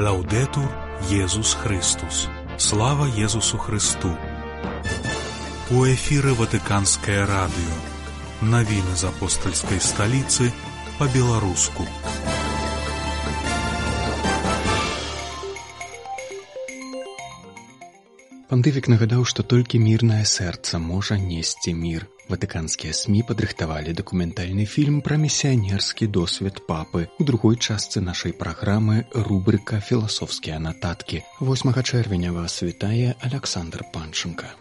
Лаўдэтур Езус Христус. Слава Езусу Христу. У эфіры Ватыканскае радыё. Навіны з апостальскай сталіцы па-беларуску. Пантыфік нагадаў, што толькі мірнае сэрца можа несці мір. Ватыканскія СМІ падрыхтавалі дакументальны фільм пра місіянерскі досвед папы. У другой частцы нашай праграмы рубрыка «Філасофскія нататкі». 8 чэрвеня вас вітае Аляксандр Панченка.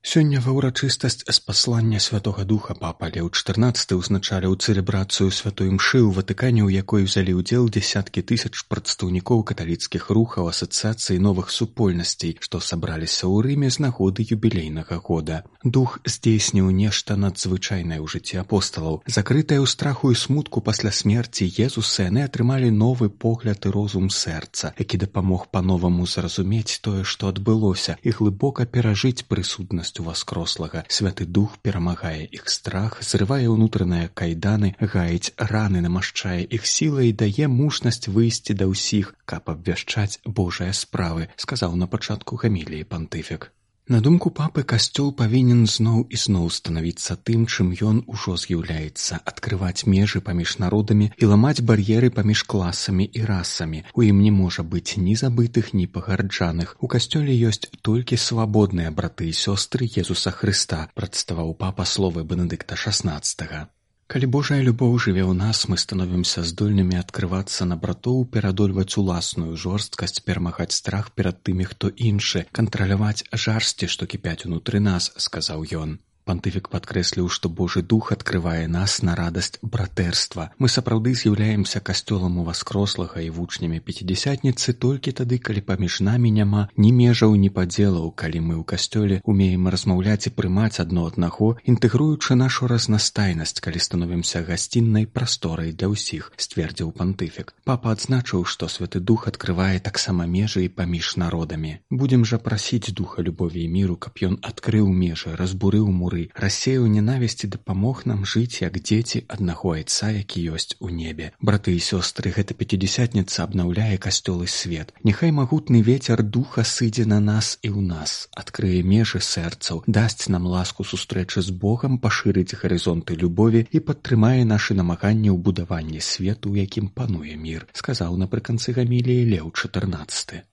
Сёння ва ўрачыстасць з паслання Святога Духа папа Леў XIV узначаліў цэлебрацыю святой імшы ў Ватыкане, у якой узялі ўдзел дзесяткі тысяч прадстаўнікоў каталіцкіх рухаў, асацыяцый новых супольнасцей, што сабраліся ў Рыме з нагоды юбілейнага года. Дух здзейсніў нешта надзвычайнае ў жыцці апосталаў. Закрытыя ў страху і смутку пасля смерці Езуса, яны атрымалі новы погляд і розум сэрца, які дапамог па-новаму зразумець тое, што адбылося, і глыбока перажыць прысутнасць воскрослага. Святы Дух перамагае іх страх, зрывае ўнутраныя кайданы, гаіць раны, намашчае іх сілай і дае мужнасць выйсці да ўсіх, каб абвяшчаць Божыя справы, сказаў на пачатку гаміліі пантыфік. На думку папы, касцёл павінен зноў і зноў станавіцца тым, чым ён ужо з'яўляецца, адкрываць межы паміж народамі і ламаць бар'еры паміж класамі і расамі. У ім не можа быць ні забытых, ні пагарджаных. У касцёле ёсць толькі свабодныя браты і сёстры Езуса Хрыста, прадставаў папа словы Бенедыкта XVI. Калі Божая любоў жыве ў нас, мы становімся здольнымі адкрывацца на братоў, перадольваць уласную жорсткасць, перамагаць страх перад тымі, хто іншы, кантраляваць жарсці, што кіпяць унутры нас, сказаў ён. Пантыфік падкрэсліў, што Божы Дух адкрывае нас на радасць братэрства. Мы сапраўды з'яўляемся касцёлам уваскрослага і вучнямі пяцідзясятніцы толькі тады, калі паміж намі няма ні межаў, ні падзелаў, калі мы ў касцёле умеем размаўляць і прымаць адно аднаго, інтэгруючы нашу разнастайнасць, калі становімся гасціннай прасторай для ўсіх, сцвердзіў пантыфік. Папа адзначыў, што Святы Дух адкрывае таксама межы і паміж народамі. Будзем жа прасіць Духа любові і міру, каб ён адкрыў межы, разбурыў муры, рассеяў ненавісць і дапамог нам жыць як дзеці аднаго айца, які ёсць у небе. Браты і сёстры, гэта пяцідзясятніца абнаўляе касцёл і свет. Няхай магутны вецер духа сыдзе на нас і ў нас, адкрые межы сэрцаў, дасць нам ласку сустрэчы з Богам, пашырыць гарызонты любові і падтрымае нашы намаганні ў будаванні свету, у якім пануе мір, сказаў напрыканцы гаміліі Леў XIV.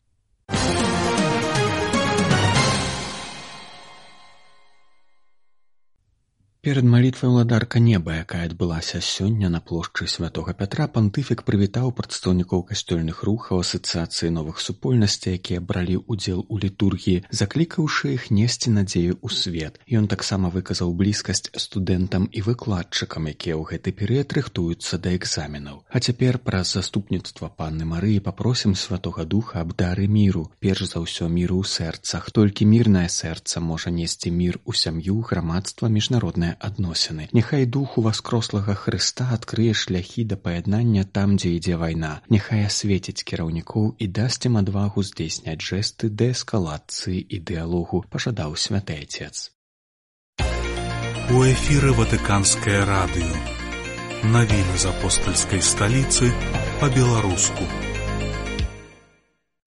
Перад малітвай ўладарка неба, якая адбылася сёння на плошчы Святога Пятра, пантыфік прывітаў прадстаўнікоў касцёльных рухаў, асацыяцыі новых супольнасцей, якія бралі ўдзел у літургіі, заклікаўшы іх несці надзею ў свет. Ён таксама выказаў блізкасць студэнтам і выкладчыкам, якія ў гэты перыяд рыхтуюцца да экзаменаў. А цяпер праз заступніцтва Панны Марыі папросім Святога Духа аб дары міру, перш за ўсё міру ў сэрцах. Толькі мірнае сэрца можа несці мір у сям'ю, грамадства, міжнароднае адносіны. Няхай Дух уваскрослага Хрыста адкрые шляхі да паяднання там, дзе ідзе вайна. Няхай асветіць кіраўнікоў і дасць ім адвагу здзейсняць жэсты дээскалацыі і дыялогу, пажадаў святы Отец. У эфіры Ватыканскае радыё. Навіны з апостальскай сталіцы па-беларуску.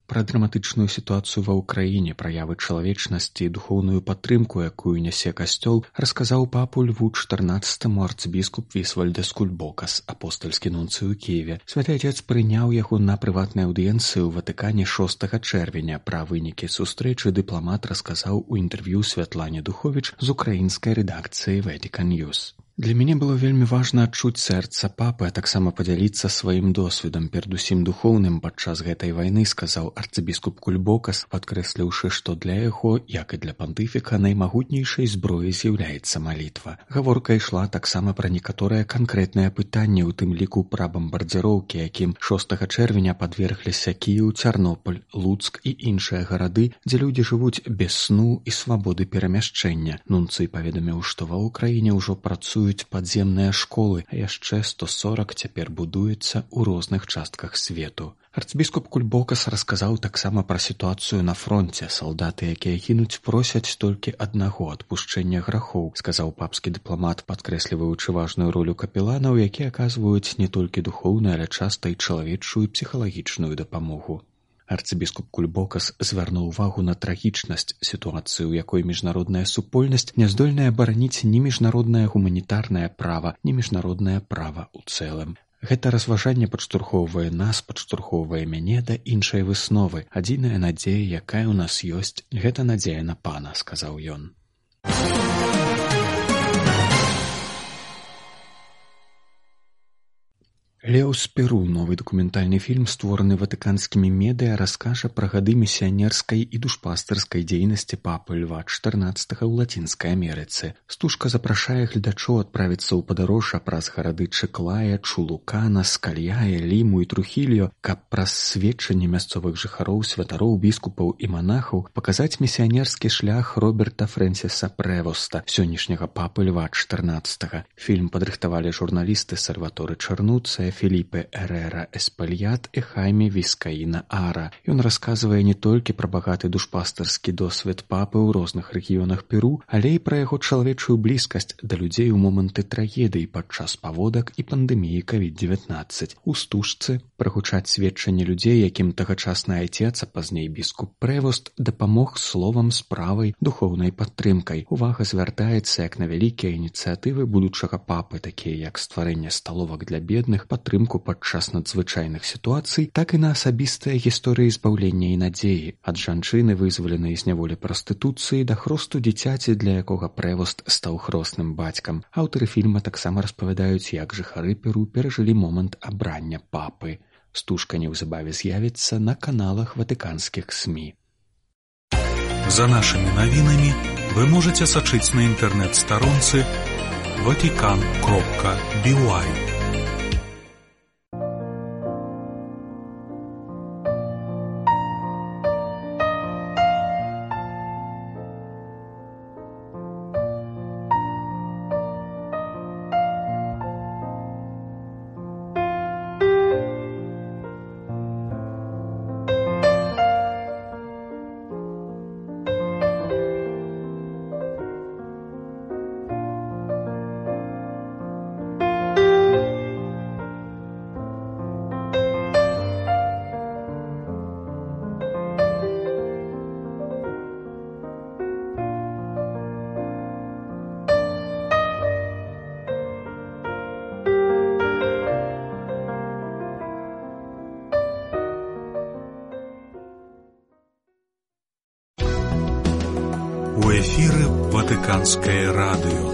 Пра драматычную сітуацыю ва ўкраіне, праявы чалавечнасці і духоўную падтрымку, якую нясе касцёл, расказаў папу Льву XIV арцыбіскуп Вісвальдас Кульбокас, апостальскі нунцый у Кіеве. Святы Отец прыняў яго на прыватнай аўдыенцыі ў Ватыкане 6 чэрвеня. Пра вынікі сустрэчы дыпламат расказаў у інтэрв'ю Святлане Духовіч з украінскай рэдакцыі Vatican News. Для мяне было вельмі важна адчуць сэрца папы, а таксама падзяліцца сваім досведам, перадусім духоўным падчас гэтай вайны, сказаў арцыбіскуп Кульбокас, падкрэсліўшы, што для яго, як і для пантыфіка, наймагутнейшай зброяй з'яўляецца малітва. Гаворка ішла таксама пра некаторыя канкрэтныя пытанні, у тым ліку пра бамбардзіроўкі, якім 6 чэрвеня падвергліся Кіеў, Цярнопаль, Луцк і іншыя гарады, дзе людзі жывуць без сну і свабоды перамяшчэння. Нунцый паведаміў, што ва ўкраіне ўжо працуюць падземныя школы, а яшчэ 140 цяпер будуецца ў розных частках свету. Арцбіскуп Кульбокас расказаў таксама пра сітуацыю на фронце. Салдаты, якія гінуць, просяць толькі аднаго — адпушчэння грахоў, сказаў папскі дыпламат, падкрэсліваючы важную ролю капеланаў, якія аказваюць не толькі духоўную, але часта і чалавечую і псіхалагічную дапамогу. Арцыбіскуп Кульбокас звярнуў увагу на трагічнасць сітуацыі, у якой міжнародная супольнасць не здольная бараніць ні міжнароднае гуманітарнае права, ні міжнароднае права ў цэлым. Гэта разважанне падштурхоўвае нас, падштурхоўвае мяне да іншай высновы. Адзіная надзея, якая ў нас ёсць, гэта надзея на Пана, сказаў ён. Леў з Перу, новы дакументальны фільм, створаны ватыканскімі медыа, раскажа пра гады місіянерскай і душпастырскай дзейнасці папы Льва XIV ў Лацінскай Амерыцы. Стужка запрашае гледачоў адправіцца ў падарожжа праз гарады Чыклая, Чулукана, Скальяе, Ліму і Трухільо, каб праз сведчанні мясцовых жыхароў, святароў, біскупаў і манахаў паказаць місіянерскі шлях Роберта Фрэнсіса Прэвоста, сённяшняга папы Льва XIV. Фільм падрыхтавалі журналісты Сальваторе Чарнуцыя, Філіпе Эрера Эспальят і Хайме Віскаіна Ара. Ён расказвае не толькі пра багаты душпастырскі досвед папы ў розных рэгіёнах Перу, але і пра яго чалавечую блізкасць да людзей у моманты трагедыі падчас паводак і пандэміі COVID-19. У стужцы прагучаць сведчанні людзей, якім тагачасны айцец, а пазней біскуп Прэвост дапамог словам, справай, духоўнай падтрымкай. Увага звяртаецца як на вялікія ініцыятывы будучага папы, такія як стварэнне сталовак для бедных, падтрымку падчас надзвычайных сітуацый, так і на асабістыя гісторыі збаўлення і надзеі. Ад жанчыны, вызваленай з няволі прастытуцыі, да хросту дзіцяці, для якога Прэвост стаў хросным бацькам. Аўтары фільма таксама распавядаюць, як жыхары Перу перажылі момант абрання папы. Стужка неўзабаве з'явіцца на каналах ватыканскіх СМІ. За нашими новинами вы можете сачыць на інтэрнэт-старонцы vatican.by. У эфіры Ватыканскае радыё.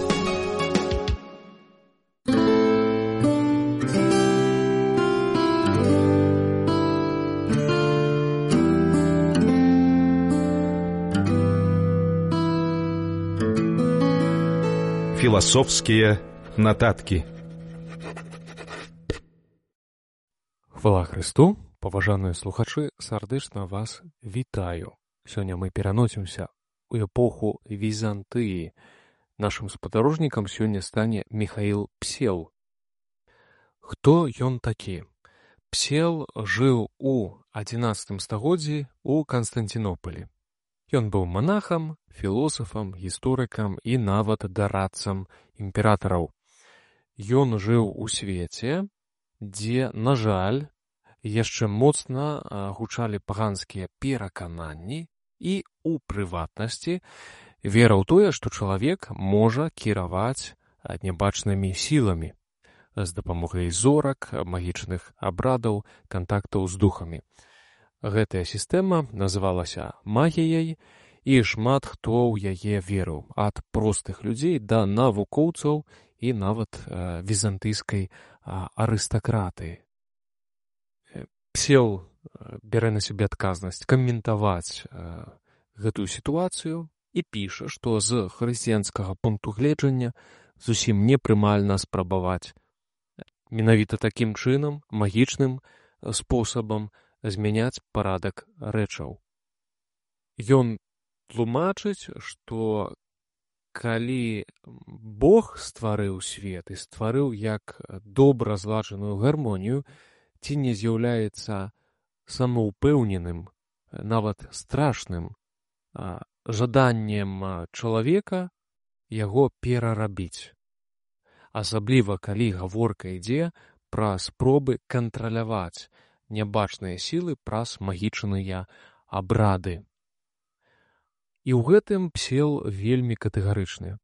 Філасофскія нататкі. Хвала Христу, паважаныя слухачы, сардэчна вас вітаю. Сёння мы пераносімся у эпоху Візантыі. Нашым спадарожнікам сёння стане Міхаіл Псел. Хто ён такі? Псел жыў у 11 стагоддзі ў Канстанцінопалі. Ён быў манахам, філосафам, гісторыкам і нават дарадцам імператараў. Ён жыў у свеце, дзе, на жаль, яшчэ моцна гучалі паганскія перакананні і, у прыватнасці, вера ў тое, што чалавек можа кіраваць нябачнымі сіламі з дапамогай зорак, магічных абрадаў, кантактаў з духамі. Гэтая сістэма называлася магіяй, і шмат хто ў яе верыў, ад простых людзей да навукоўцаў і нават візантыйскай арыстакратыі. Псел бярэ на сябе адказнасць каментаваць гэтую сітуацыю і піша, што з хрысціянскага пункту гледжання зусім непрымальна спрабаваць менавіта такім чынам, магічным спосабам змяняць парадак рэчаў. Ён тлумачыць, што калі Бог стварыў свет і стварыў як добра зладжаную гармонію, ці не з'яўляецца самаўпэўненым, нават страшным жаданнем чалавека яго перарабіць. Асабліва, калі гаворка ідзе пра спробы кантраляваць нябачныя сілы праз магічныя абрады. І ў гэтым Псел вельмі катэгарычны.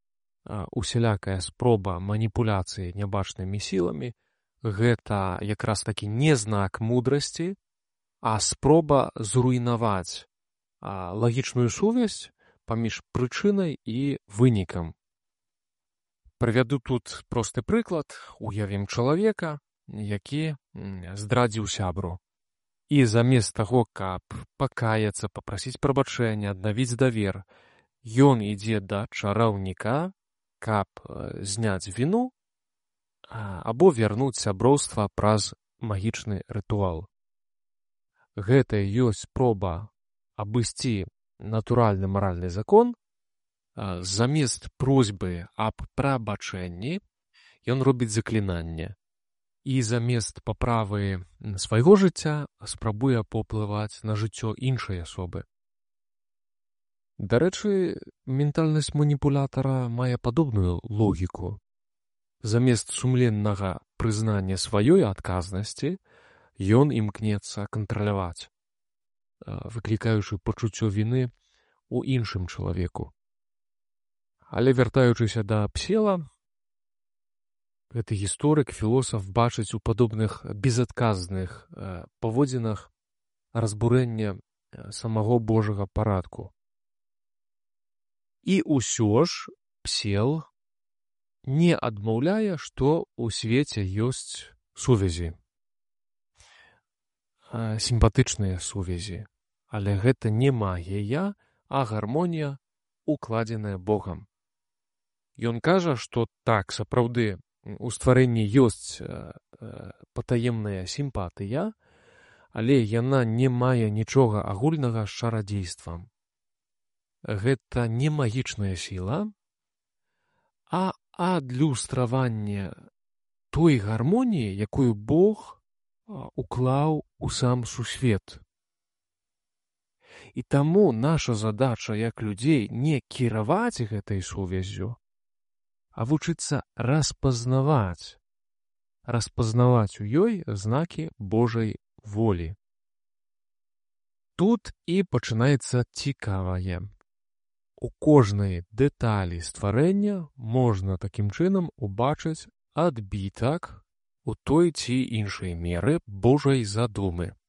Усялякая спроба маніпуляцыі нябачнымі сіламі – гэта якраз такі не знак мудрасці, а спроба зруйнаваць лагічную сувязь паміж прычынай і вынікам. Прывяду тут просты прыклад. Уявім чалавека, які здрадзіў сябру. І замест таго, каб пакаяцца, папрасіць прабачэння, аднавіць давер, ён ідзе да чараўніка, каб зняць віну або вярнуць сяброўства праз магічны рытуал. Гэта ёсць спроба абысці натуральны маральны закон. Замест просьбы аб прабачэнні ён робіць заклінанне. І замест паправы свайго жыцця спрабуе паўплываць на жыццё іншай асобы. Дарэчы, ментальнасць маніпулятара мае падобную логіку. Замест сумленнага прызнання сваёй адказнасці ён імкнецца кантраляваць, выклікаючы пачуццё віны ў іншым чалавеку. Але вяртаючыся да Псела, гэты гісторык, філосаф бачыць у падобных безадказных паводзінах разбурэнне самого Божага парадку. І ўсё ж Псел не адмаўляе, што ў свеце ёсць сувязі. Сімпатычныя сувязі. Але гэта не магія, а гармонія, укладзеная Богам. Ён кажа, што так, сапраўды, у стварэнні ёсць патаемная сімпатыя, але яна не мае нічога агульнага з чарадзействам. Гэта не магічная сіла, а адлюстраванне той гармоніі, якую Бог уклаў у сам сусвет. І таму наша задача як людзей не кіраваць гэтай сувяззю, а вучыцца распазнаваць у ёй знакі Божай волі. Тут і пачынаецца цікавае. У кожнай дэталі стварэння можна такім чынам убачыць адбітак у той ці іншай меры Божай задумы.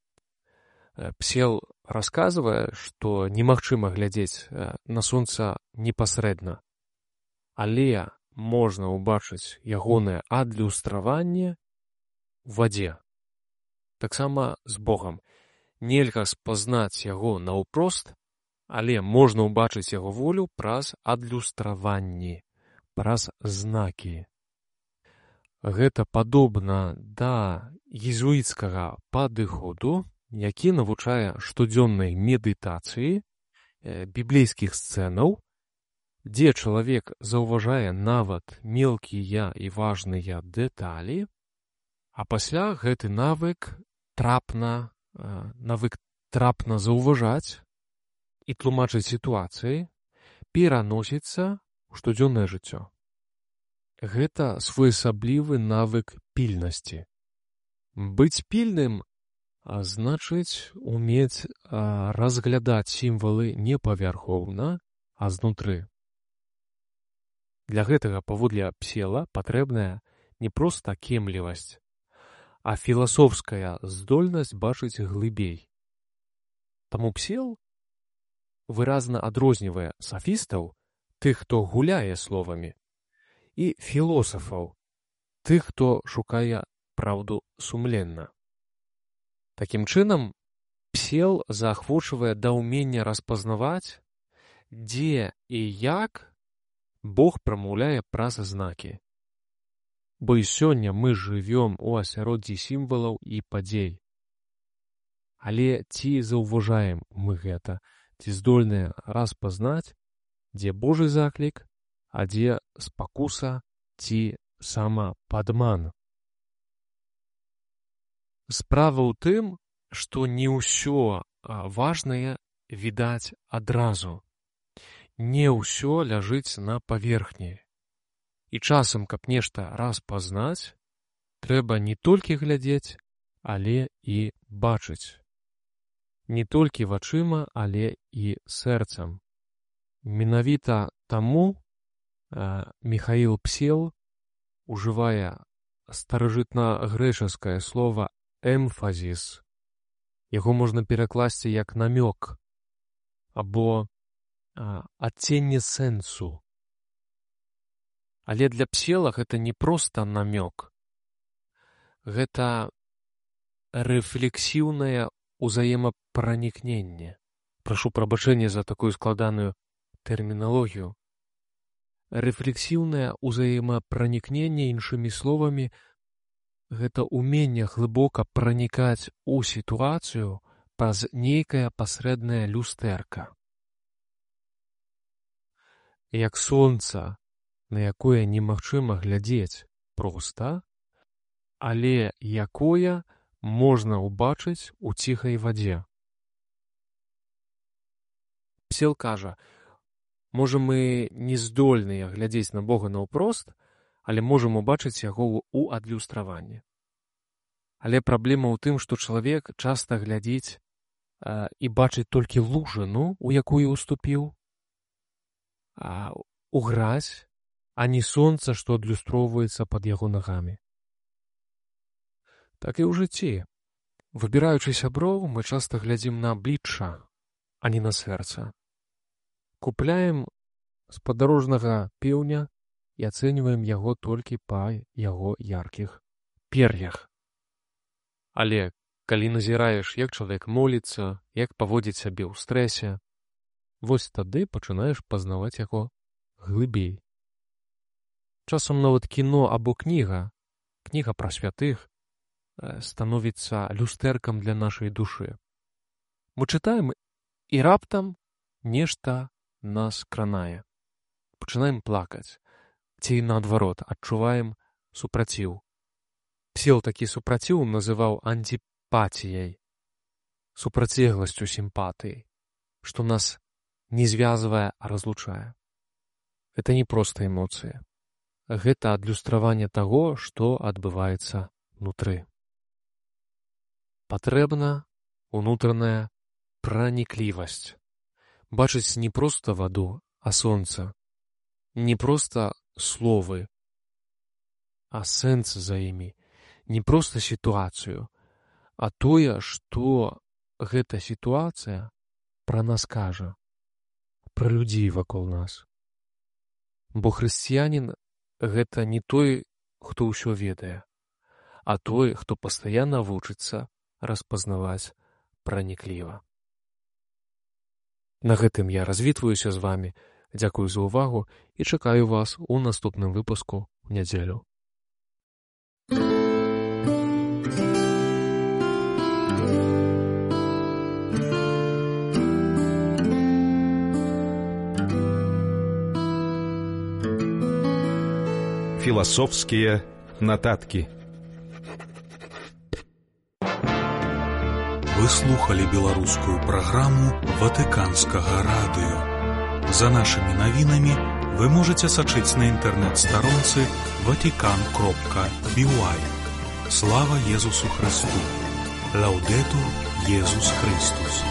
Псел расказвае, што немагчыма глядзець на сонца непасрэдна, але можна ўбачыць ягонае адлюстраванне ў вадзе. Таксама з Богам. Нельга спазнаць яго наўпрост, але можна ўбачыць яго волю праз адлюстраванні, праз знакі. Гэта падобна да езуіцкага падыходу, які навучае штодзённай медытацыі, біблейскіх сцэнаў, дзе чалавек заўважае нават мелкія і важныя дэталі, а пасля гэты навык трапна заўважаць і тлумачыць сітуацыі пераносіцца ў штодзённае жыццё. Гэта своеасаблівы навык пільнасці. Быць пільным значыць умець разглядаць сімвалы не павярхоўна, а знутры. Для гэтага, паводле Псела, патрэбная не проста кемлівасць, а філасофская здольнасць бачыць глыбей. Таму Псел выразна адрознівае сафістаў, тых, хто гуляе словамі, і філосафаў, тых, хто шукае праўду сумленна. Такім чынам, Псел заахвочвае да ўмення распазнаваць, дзе і як Бог прамаўляе праз знакі. Бо і сёння мы жывём у асяроддзі сімвалаў і падзей. Але ці заўважаем мы гэта, ці здольныя распазнаць, дзе Божы заклік, а дзе спакуса ці самападман? Справа ў тым, што не ўсё важнае відаць адразу. Не ўсё ляжыць на паверхні. І часам, каб нешта распазнаць, трэба не толькі глядзець, але і бачыць. Не толькі вачыма, але і сэрцам. Менавіта таму Міхаіл Псел ужывае старажытнагрэчаскае слова «эмфазіс». Яго можна перакласці як намёк або адценне сэнсу. Але для Псела гэта не проста намёк. Гэта рэфлексіўнае ўзаемапранікненне. Прашу прабачэння за такую складаную тэрміналогію. Рэфлексіўнае ўзаемапранікненне, іншымі словамі, гэта ўменне глыбока пранікаць у сітуацыю праз нейкае пасрэднае люстэрка. Як сонца, на якое немагчыма глядзець проста, але якое можна ўбачыць у ціхай вадзе. Псел кажа, можа мы не здольныя глядзець на Бога наўпрост, але можам убачыць яго ў адлюстраванні. Але праблема ў тым, што чалавек часта глядзіць і бачыць толькі лужыну, у якую уступіў, у гразь, а не сонца, што адлюстроўваецца пад яго нагамі. Так і ў жыцці. Выбіраючы сяброў, мы часта глядзім на аблічча, а не на сэрца. Купляем спадарожнага пеўня і ацэньваем яго толькі па яго яркіх пер'ях. Але калі назіраеш, як чалавек моліцца, як паводзіць сябе ў стрэсе, вось тады пачынаеш пазнаваць яго глыбей. Часам нават кіно або кніга пра святых, становіцца люстэркам для нашай душы. Мы чытаем, і раптам нешта нас кранае. Пачынаем плакаць. Ці наадварот, адчуваем супраціў. Псел такі супраціў называў антипатіяй, супрацьлегласцю сімпатыі, што нас не звязвае, а разлучае. Гэта не проста эмоцыя. Гэта адлюстраванне таго, што адбываецца внутры. Патрэбна унутраная праніклівасць. Бачыць не проста ваду, а сонца. Не проста словы, а сэнс за імі. Не проста сітуацыю, а тое, што гэта сітуацыя пра нас кажа, пра людзей вакол нас. Бо хрысціянін гэта не той, хто ўсё ведае, а той, хто пастаянна вучыцца распазнаваць пранікліва. На гэтым я развітваюся з вамі, дзякую за ўвагу і чакаю вас у наступным выпуску ў нядзелю. Философские нотатки. Вы слухали беларускую праграму Ватыканскага радыё. За нашымі навінамі вы можаце сачыць на інтэрнэт-старонцы vatican.by. Слава Езусу Христу! Лаудетур Езус Христус!